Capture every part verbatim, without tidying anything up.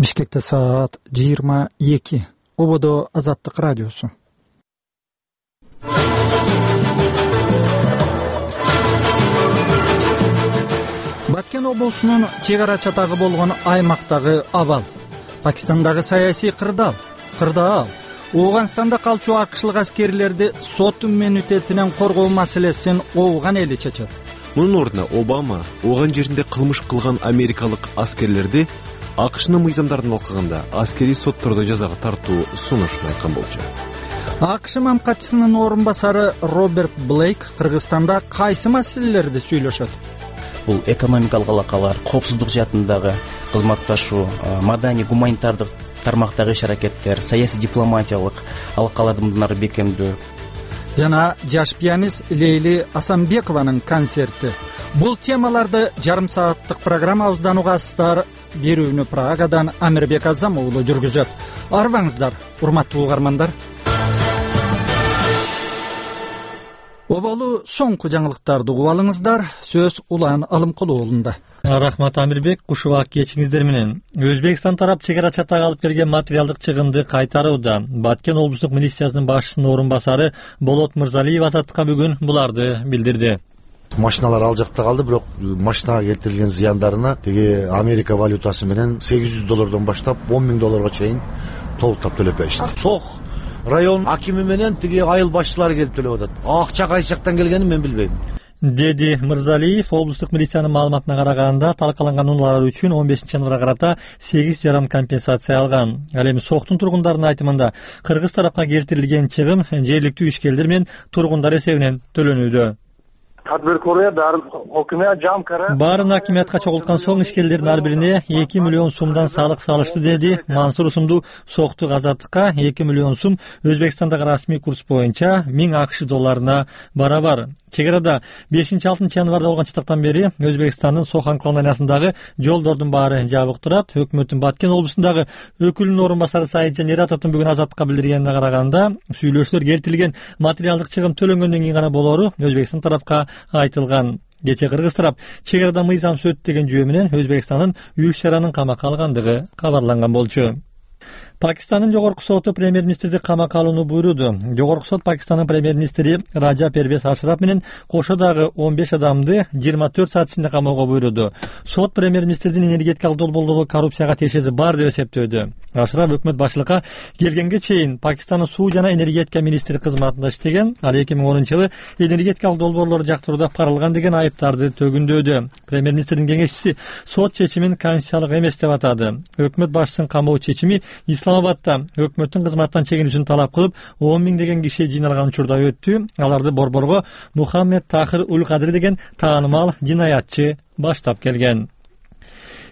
Бишкекте саат жыйырма эки. Ободо Азаттык радиосу. Баткен облусунун чек ара чатагы болгон аймактагы абал, Пакистандагы саясий кырдаал, кырдаал, Ооганстанда калчу акышлык аскерлерди сот иммунитетинен коргоо маселесин ооган эли чечет. Мунун ордуна Обама ооган жеринде кылмыш кылган америкалык аскерлерди АКШнын мыйзамдарын алкаганда аскерий соттордо жазага тартуу сунушун айткан болчу. АКШ мамкатчысынын орун басары Роберт Блейк Кыргызстанда кайсы маселелерди сүйлөшөт? Бул экономикалык алакалар, коопсуздук жаатындагы кызматташуу, маданий гуманитардык тармактагы иш-аракеттер, саясий дипломатиялык алакаларды мындары бекемдөө жана жаш пианист Лейли Асанбекованын концерти. Бул темаларды жарым сааттык программабыздан угасыздар. Берүүнү Прагадан Амирбек Азам уулу жүргүзөт. Арбаңыздар, урматтуу угармандар. Оболу соңку жаңылыктарды угуп алыңыздар. Сөз Улан Алымкулуу уулунда. Рахмат Амирбек, кушубак кечиңиздер менен. Өзбекстан тарап чек ара чатага алып берген материалдык чыгымды кайтарууда. Баткен облустук милициясынын башчысынын орун басары Болот Мырзалиев Азаттыкка бүгүн буларды билдирди. Машиналар ал жакта калды, бирок машинага келтирилген зыяндарына тиги Америка валютасы менен сегиз жүз доллардан баштап он миң долларга чейин толуктап төлөп беришти. Сох район акими менен тиги айыл башчылары келип төлөп атат. Акча кайсы жактан келгенин мен билбейм, деди Мырзалиев. Облустук милициянын маалыматына караганда талкаланган унаалар үчүн он бешинчи январга карата сегиз жарым компенсация алган. Ал эми Соктун тургундарынын айтымында кыргыз тарапка келтирилген чыгым жергиликтүү ишкерлер менен тургундар эсебинен төлөнүүдө. Баарын акимиятка чогулткан соң ишкерлердин ар бирине эки миллион сумдан салык салышты, деди Мансур Усумду Соктук Азаттыкка. эки миллион сум Өзбекстандагы расмий курс боюнча миң АКШ долларына барабар. Чек арада бешинчи алтынчы январда болгон чатактан бери Өзбекстандын Сохан колонияларындагы жолдордун баары жабык турат. Өкмөттүн Баткен облусундагы өкүлүнүн орун басары Саиджан Нератовдун бүгүн Азаттыкка билдиргенине караганда, сүйлөшүүлөр келтирилген материалдык чыгым төлөнгөндөн кийин гана болору Өзбекстан тарапка айтылган. Кечээ кыргыз тарап чек арада мыйзамсыз өттү деген жүйө менен Өзбекстандын үч шаранын камакка алгандыгы кабарланган болчу. Пакистандын жогорку соту премьер-министрди камакка алууну буйруду. Жогорку сот Пакистандын премьер-министри Раджа Первез Ашраф менен кошо дагы он беш адамды жыйырма төрт саат ичинде камоого буйруду. Сот премьер-министрдин энергетикалык долбоорлордо коррупцияга тиешеси бар деп эсептөөдө. Ашраф өкмөт башчылыкка келгенге чейин Пакистандын суу жана энергетика министри кызматында иштеген. Ал эки миң онунчу жылы энергетикалык долбоорлорду жактырууда парылган деген айыптарды төгүндөөдө. Премьер-министрдин кеңешчиси сот чечимин конституциялык эмес деп атады. Өкмөт башчысынын камоо чечими Исламабадта өкмөттүн кызматтан чегинүүсүн талап кылып он миң деген киши жыйналган учурда өттү. Аларды борборго Мухаммед Тахир Ул Кадри деген таанымал жинаятчы баштап келген.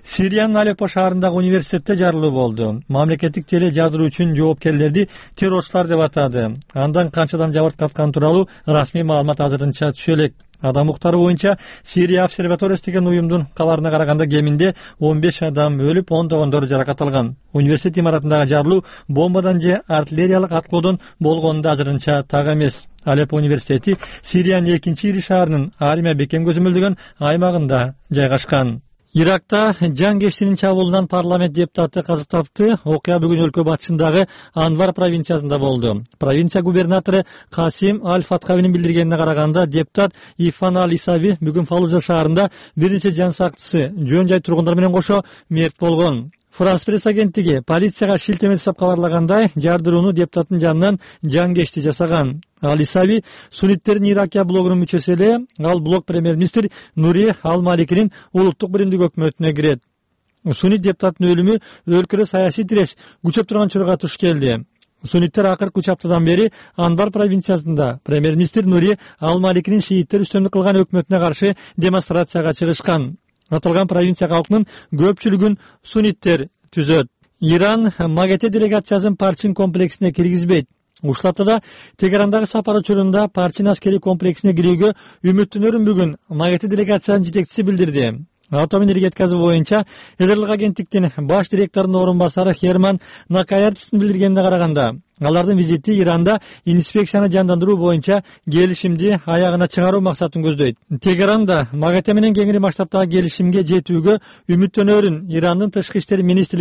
Сириянын Алеппо шаарындагы университетте жарылуу болду. Мамлекеттик теле жардыруу үчүн жоопкерлерди террорчулар деп атады. Андан канчадан жабырткаткан тууралуу расмий маалымат азырынча түшө элек. Адам укуктары боюнча Сирия обсерваториясы деген уюмдун кабарына караганда кеминде он беш адам өлүп, ондогондору жаракат алган. Университет имаратындагы жарылуу бомбадан же артиллериялык аткылоодон болгону да азырынча так эмес. Алеппо университети Сириянын экинчи ири шаарынын армия бекем көзөмөлдөгөн аймагында жайгашкан. Иракта жан чабуулунан парламент депутаты каза тапты. Окуя бүгүн өлкө батышындагы Анвар провинциясында болду. Провинция губернатору Касим Аль-Фатхавинин билдиргенине караганда, депутат Ифан Аль-Исави бүгүн Фалужа шаарында бир нече жан сактысы, жөн жай тургундар менен кошо мерт болгон. Франс пресс агенттиги полицияга шилтеме жасап кабарлагандай, жардырууну депутаттын жанынан жангешти жасаган. Аль-Исави сунниттердин Иракия блогунун мүчөсү эле. Ал блог премьер-министр Нури Ал-Маликинин улуттук биримдик өкмөтүнө кирет. Суннит депутаттын өлүмү өлкөдө саясий тиреш күчөп турган учурга туш келди. Сунниттер акыркы үч аптадан бери Анбар провинциясында премьер-министр Нури Ал-Маликинин шииттер үстөмдүк кылган өкмөтүнө каршы демонстрацияга чыгышкан. Аталган провинция калкынын көпчүлүгүн сунниттер түзөт. Иран МАГАТЭ делегациясын Парчин комплексине киргизбейт. Ушул аптада Тегерандагы сапар учурунда Парчин аскери комплексине кирүүгө үмүттөнөрүн бүгүн МАГАТЭ делегациянын жетекчиси билдирди. Атом энергетикасы боюнча Эдерлик агенттиктин баш директорунун орун басары Херман Накаяртистин билдиргенине караганда, алардын визити Иранда инспекцияны жандандыруу боюнча келишимди аягына чыгаруу максатын көздөйт. Тегеранда МАГАТЭ менен кеңири масштабтагы келишимге жетүүгө үмүттөнөрүн Ирандын тышкы иштер министрлиги